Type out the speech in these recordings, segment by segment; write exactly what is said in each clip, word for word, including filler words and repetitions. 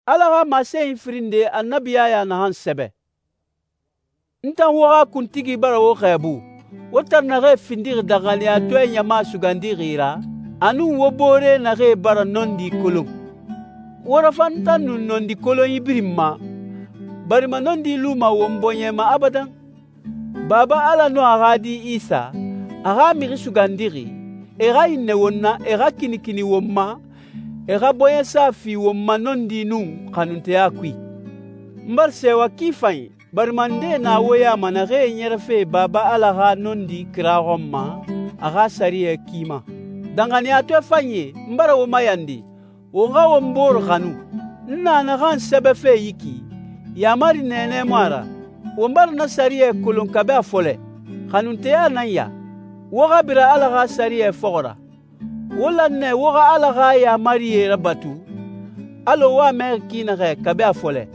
Ala xa masenyi firin nde Annabi Yaya naxan sɛbɛ. N tan wo xa kuntigi bara wo xɛɛbu, wo tan naxee findixi danxaniyatɔɛ ɲama sugandixi ra, a nun wo boore naxee bara nɔndi kolon. Wo rafan n tan nun nɔndi kolonyi birin ma, barima nɔndi luma won bɔɲɛ ma abadan. Baba Ala nun a xa Di Isa, a xa Mixi Sugandixi, e xa hinnɛ won na, e xa kinikini won ma, e xa bɔɲɛsa fi won ma nɔndi nun xanunteya kui. N bara sɛɛwa ki fanyi, barima ndee na wo ya ma naxee ɲɛrɛfe Baba Ala xa nɔndi kira xɔn ma a xa sɛriyɛ ki ma. Danxaniyatɔɛ fanyie, n bara wo mayandi, won xa won bore xanu. N na naxan sɛbɛfe yi ki, yaamari nɛɛnɛ mu a ra. Won bara na sɛriyɛ kolon kabi a fɔlɛ. Xanunteya nan ya, wo xa bira Ala xa sɛriyɛ fɔxɔ ra. Wo lan nɛ wo xa Ala xa yaamarie rabatu, alɔ wo a mɛxi ki naxɛ kabi a fɔlɛ.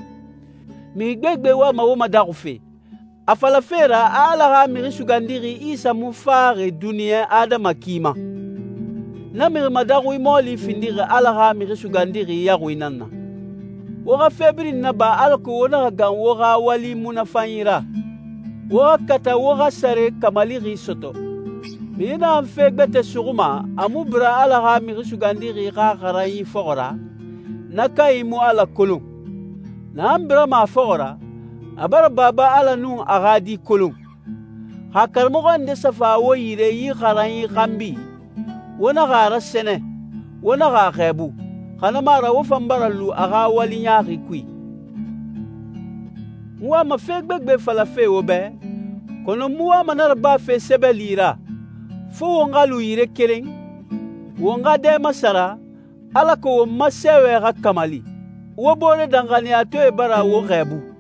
Mixi gbegbe wama wo madaxufe, a falafe ra a Ala xa Mixi Sugandixi Isa mu faxi duniɲa adama ki ma. Na mixi madaxui mɔɔli findixi Ala xa Mixi Sugandixi yaxui nan na. Wo xa fe birin naba alako wo naxa gan wo xa wali munafanyi ra. Wo xa kata wo xa sare kamalixi sɔtɔ. Mixi naxan fe gbɛtɛ suxuma, a mu bira Ala xa Mixi Sugandixi xa xaranyi fɔxɔ ra, na kanyi mu Ala kolon. Naxan birama a fɔxɔ ra, a bara Baba Ala nun a xa Di kolon. Xa karamɔxɔ nde sa fa wo yire yi xaranyi xanbi, wo naxa a rasɛnɛ, wo naxa a xɛɛbu, xa na mu a ra wo fan bara lu a xa wali ɲaaxi kui. N wama fe gbegbe falafe wo bɛ, kɔnɔ n mu wama na rabafe sɛbɛli ra, fo won xa lu yire keren, won xa dɛ masara, alako won ma sɛɛwɛ xa kamali. Wo boore danxaniyatɔɛe bara wo xɛɛbu.